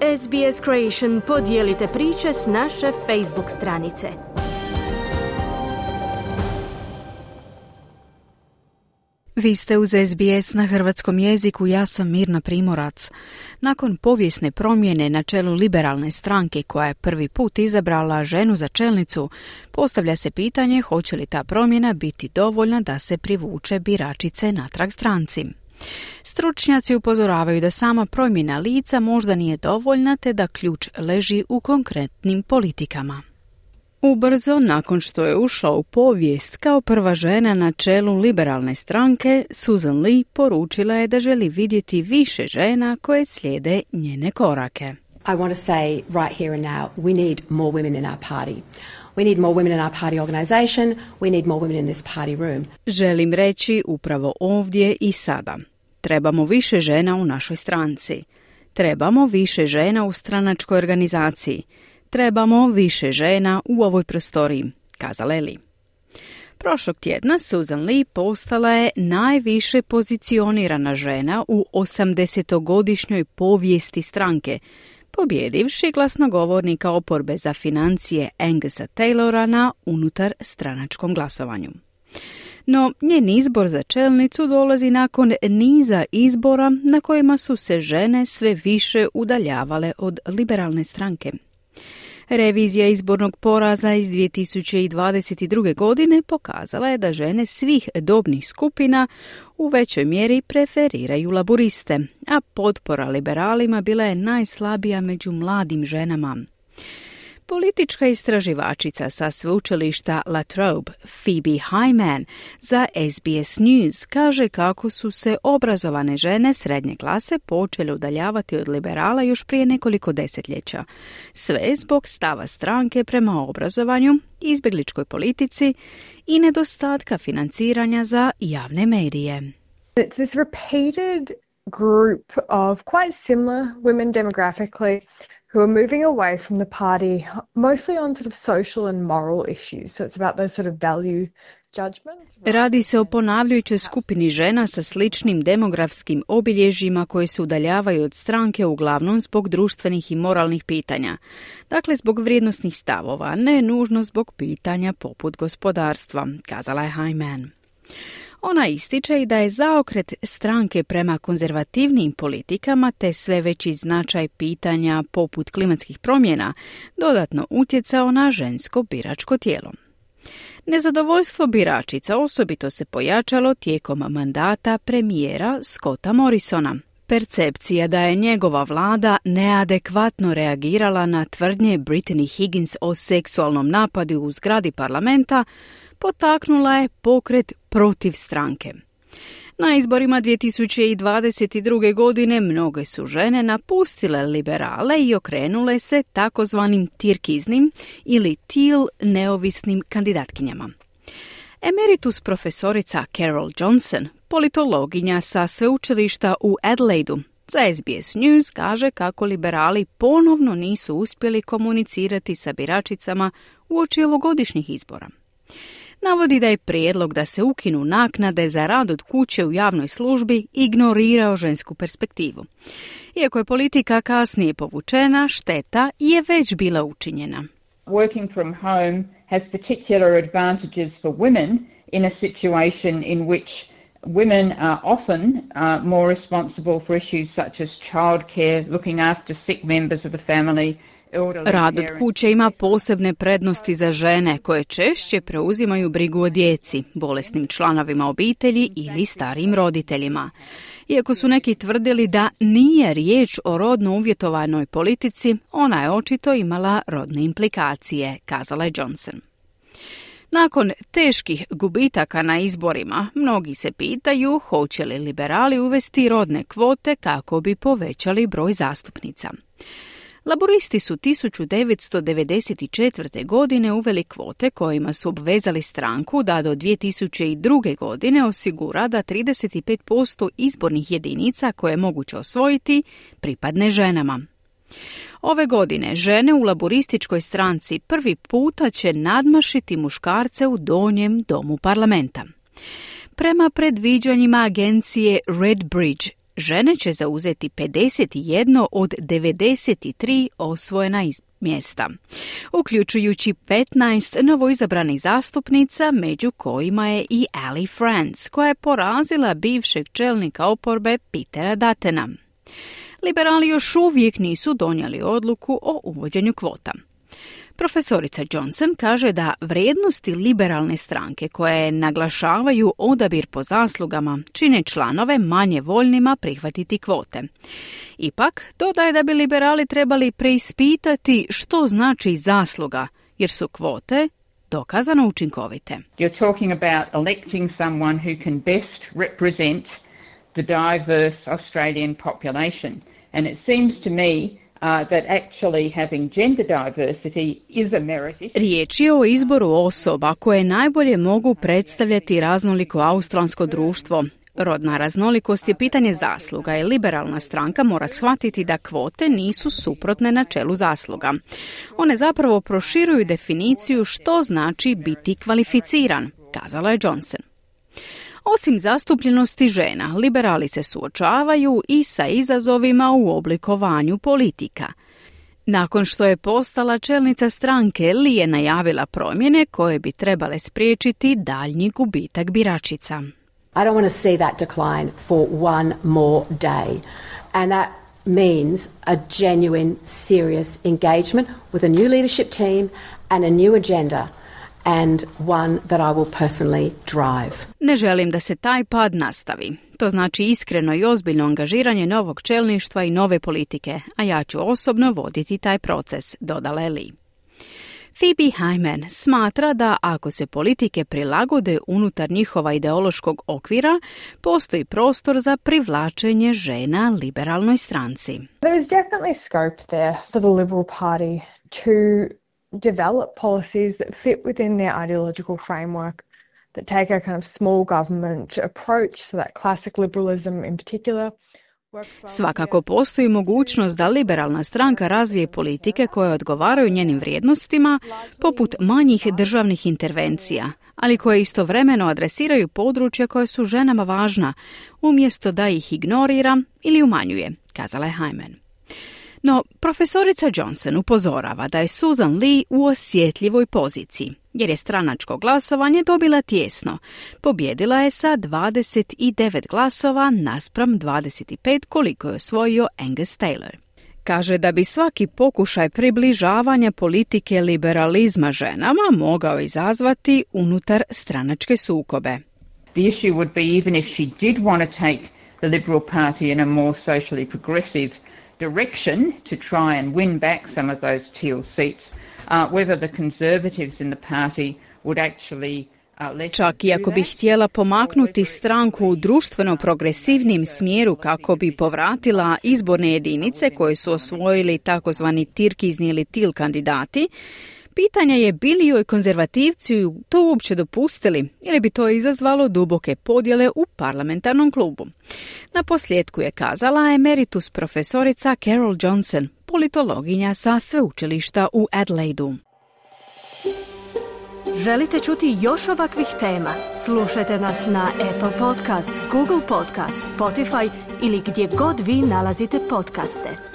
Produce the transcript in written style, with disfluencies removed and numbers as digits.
SBS Creation, podijelite priče s naše Facebook stranice. Vi ste uz SBS na hrvatskom jeziku, ja sam Mirna Primorac. Nakon povijesne promjene na čelu liberalne stranke koja je prvi put izabrala ženu za čelnicu, postavlja se pitanje hoće li ta promjena biti dovoljna da se privuče biračice natrag stranci. Stručnjaci upozoravaju da sama promjena lica možda nije dovoljna te da ključ leži u konkretnim politikama. Ubrzo, nakon što je ušla u povijest kao prva žena na čelu liberalne stranke, Susan Lee poručila je da želi vidjeti više žena koje slijede njene korake. I want to say right here and now, we need more women in our party. We need more women in our party organization. We need more women in this party room. Želim reći upravo ovdje i sada. Trebamo više žena u našoj stranci. Trebamo više žena u stranačkoj organizaciji. Trebamo više žena u ovoj prostoriji, kazala je Lee. Prošlog tjedna Susan Lee postala je najviše pozicionirana žena u 80-godišnjoj povijesti stranke, pobjedivši glasnogovornika oporbe za financije Angusa Taylora na unutar stranačkom glasovanju. No, njen izbor za čelnicu dolazi nakon niza izbora na kojima su se žene sve više udaljavale od liberalne stranke. Revizija izbornog poraza iz 2022. godine pokazala je da žene svih dobnih skupina u većoj mjeri preferiraju laburiste, a potpora liberalima bila je najslabija među mladim ženama. Politička istraživačica sa sveučilišta La Trobe, Phoebe Hyman, za SBS News kaže kako su se obrazovane žene srednje klase počele udaljavati od liberala još prije nekoliko desetljeća. Sve zbog stava stranke prema obrazovanju, izbjegličkoj politici i nedostatka financiranja za javne medije. It's this repeated group of quite similar women demographically who are moving away from the party, mostly on sort of social and moral issues. So it's about those sort of value judgments. Radi se o ponavljajućoj skupini žena sa sličnim demografskim obilježjima koje se udaljavaju od stranke uglavnom zbog društvenih i moralnih pitanja. Dakle, zbog vrijednosnih stavova, ne nužno zbog pitanja poput gospodarstva, kazala je Hyman. Ona ističe i da je zaokret stranke prema konzervativnim politikama te sve veći značaj pitanja poput klimatskih promjena dodatno utjecao na žensko biračko tijelo. Nezadovoljstvo biračica osobito se pojačalo tijekom mandata premijera Scotta Morrisona. Percepcija da je njegova vlada neadekvatno reagirala na tvrdnje Brittany Higgins o seksualnom napadu u zgradi parlamenta potaknula je pokret protiv stranke. Na izborima 2022. godine mnoge su žene napustile liberale i okrenule se takozvanim tirkiznim ili teal neovisnim kandidatkinjama. Emeritus profesorica Carol Johnson, politologinja sa sveučilišta u Adelaidu, za SBS News kaže kako liberali ponovno nisu uspjeli komunicirati sa biračicama uoči ovogodišnjih izbora. Navodi da je prijedlog da se ukinu naknade za rad od kuće u javnoj službi ignorirao žensku perspektivu. Iako je politika kasnije povučena, šteta je već bila učinjena. Working from home has particular advantages for women in a situation in which women are often more responsible for issues such as childcare, looking after sick members of the family. Rad od kuće ima posebne prednosti za žene koje češće preuzimaju brigu o djeci, bolesnim članovima obitelji ili starijim roditeljima. Iako su neki tvrdili da nije riječ o rodno uvjetovanoj politici, ona je očito imala rodne implikacije, kazala je Johnson. Nakon teških gubitaka na izborima, mnogi se pitaju hoće li liberali uvesti rodne kvote kako bi povećali broj zastupnica. Laburisti su 1994. godine uveli kvote kojima su obvezali stranku da do 2002. godine osigura da 35% izbornih jedinica koje je moguće osvojiti pripadne ženama. Ove godine žene u laburističkoj stranci prvi puta će nadmašiti muškarce u donjem domu parlamenta. Prema predviđanjima agencije Redbridge, žene će zauzeti 51 od 93 osvojena mjesta, uključujući 15 novoizabranih zastupnica, među kojima je i Ali France, koja je porazila bivšeg čelnika oporbe Petera Duttona. Liberali još uvijek nisu donijeli odluku o uvođenju kvota. Profesorica Johnson kaže da vrijednosti liberalne stranke koje naglašavaju odabir po zaslugama čine članove manje voljnima prihvatiti kvote. Ipak, dodaje da bi liberali trebali preispitati što znači zasluga, jer su kvote dokazano učinkovite. You're talking about electing someone who can best represent the diverse Australian population. And it seems to me that actually having gender diversity is a merit issue. Riječ je o izboru osoba koje najbolje mogu predstavljati raznoliko australsko društvo. Rodna raznolikost je pitanje zasluga i liberalna stranka mora shvatiti da kvote nisu suprotne načelu zasluga. One zapravo proširuju definiciju što znači biti kvalificiran, kazala je Johnson. Osim zastupljenosti žena, liberali se suočavaju i sa izazovima u oblikovanju politika. Nakon što je postala čelnica stranke, Lee je najavila promjene koje bi trebale spriječiti daljnji gubitak biračica. I don't want to see that decline for one more day. And that means a genuine, serious engagement with a new leadership team and a new agenda. And one that I will personally drive. Ne želim da se taj pad nastavi. To znači iskreno i ozbiljno angažiranje novog čelništva i nove politike, a ja ću osobno voditi taj proces, dodala je Lee. Phoebe Hyman smatra da ako se politike prilagode unutar njihova ideološkog okvira, postoji prostor za privlačenje žena liberalnoj stranci. There is definitely scope there for the Liberal Party to develop policies that fit within their ideological framework, that take a kind of small government approach, so that classic liberalism in particular. Svakako postoji mogućnost da liberalna stranka razvije politike koje odgovaraju njenim vrijednostima, poput manjih državnih intervencija, ali koje istovremeno adresiraju područja koje su ženama važna, umjesto da ih ignorira ili umanjuje, kazala je Hyman. No, profesorica Johnson upozorava da je Susan Lee u osjetljivoj poziciji, jer je stranačko glasovanje dobila tijesno. Pobjedila je sa 29 glasova naspram 25 koliko je osvojio Angus Taylor. Kaže da bi svaki pokušaj približavanja politike liberalizma ženama mogao izazvati unutar stranačke sukobe. The issue would be even if she did want to take the Liberal Party in a more socially progressive direction to try and win back some of those teal seats, whether the Conservatives in the party would actually Čak i ako bi htjela pomaknuti stranku u društveno progresivnim smjeru kako bi povratila izborne jedinice koje su osvojili takozvani tirkizni ili til kandidati, pitanje je bili joj konzervativci to uopće dopustili ili bi to izazvalo duboke podjele u parlamentarnom klubu. Na posljedku je kazala emeritus profesorica Carol Johnson, politologinja sa sveučilišta u Adelaidu. Želite čuti još ovakvih tema? Slušajte nas na Apple Podcast, Google Podcast, Spotify ili gdje god vi nalazite podcaste.